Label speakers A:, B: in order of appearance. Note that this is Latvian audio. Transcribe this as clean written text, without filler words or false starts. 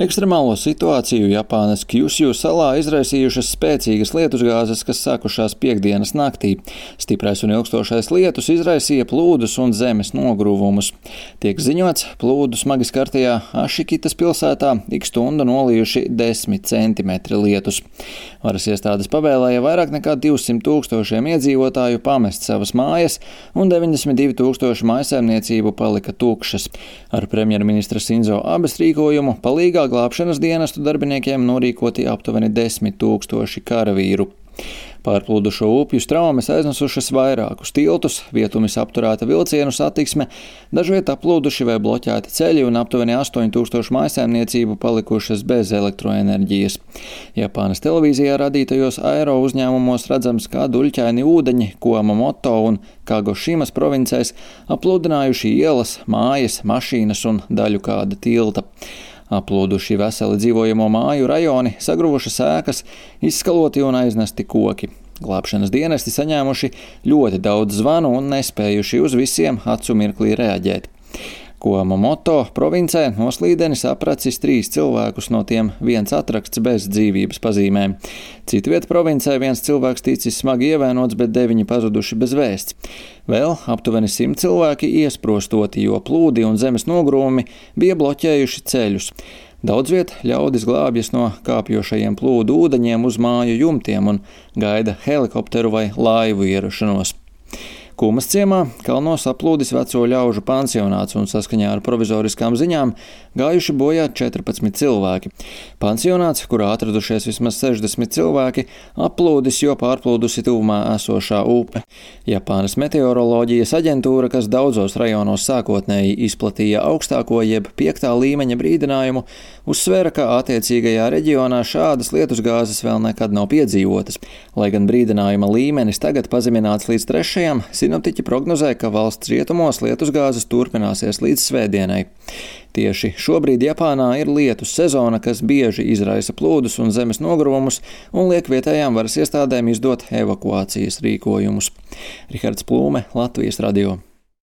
A: Ekstremālo situāciju Japānas Kjusju salā izraisījušas spēcīgas lietusgāzes, kas sākušās piektdienas naktī. Stiprais un ilgstošais lietus izraisīja plūdus un zemes nogrūvumus. Tiek ziņots, plūdu smagi skartajā Ašikitas pilsētā ik stundu nolījuši 10 centimetri lietus. Varas iestādes pavēlēja vairāk nekā 200 tūkstošiem iedzīvotāju pamest savas mājas, un 92 tūkstoši mājsaimniecību palika tukšas. Ar premjerministra Sinzo Abes rīkojumu palīgā glābšanas dienestu darbiniekiem norīkoti aptuveni 10 000 karavīru. Pārplūdušo upju straumes aiznesušas vairākus tiltus, vietumis apturēta vilcienu satiksme, dažviet aplūduši vai bloķēti ceļi un aptuveni 8000 mājsaimniecību palikušas bez elektroenerģijas. Japānas televīzijā radītajos aero uzņēmumos redzams, kā duļķaini ūdeņi Kumamoto un Kagošimas provincēs apludinājuši ielas, mājas, mašīnas un daļu kāda tilta. Aplūduši veseli dzīvojamo māju rajoni, sagruvušas ēkas, izskaloti un aiznesti koki. Glābšanas dienesti saņēmuši ļoti daudz zvanu un nespējuši uz visiem acu mirklī reaģēt. Kumamoto provincē noslīdenis apracis 3 cilvēkus, no tiem 1 atrakts bez dzīvības pazīmēm. Citviet provincē 1 cilvēks ticis smagi ievainots, bet 9 pazuduši bez vēsts. Vēl aptuveni 100 cilvēki iesprostoti, jo plūdi un zemes nogrūmi bija bloķējuši ceļus. Daudz viet ļaudis glābjas no kāpjošajiem plūdu ūdeņiem uz māju jumtiem un gaida helikopteru vai laivu ierašanos. Kumas ciemā kalnos aplūdis veco ļaužu pansionāts un saskaņā ar provizoriskām ziņām gājuši bojā 14 cilvēki. Pansionāts, kurā atradušies vismaz 60 cilvēki, aplūdis, jo pārplūdusi tuvumā esošā upe. Japānas meteoroloģijas aģentūra, kas daudzos rajonos sākotnēji izplatīja augstāko jeb 5. līmeņa brīdinājumu, uzsvēra, ka attiecīgajā reģionā šādas lietusgāzes vēl nekad nav piedzīvotas. Lai gan brīdinājuma līmenis tagad pazemināts līdz 3. Sinoptiķi prognozē, ka valsts rietumos lietusgāzes turpināsies līdz svētdienai. Tieši šobrīd Japānā ir lietus sezona, kas bieži izraisa plūdus un zemes nogrūvumus un liek vietējām varas iestādēm izdot evakuācijas rīkojumus. Rihards Plūme, Latvijas radio.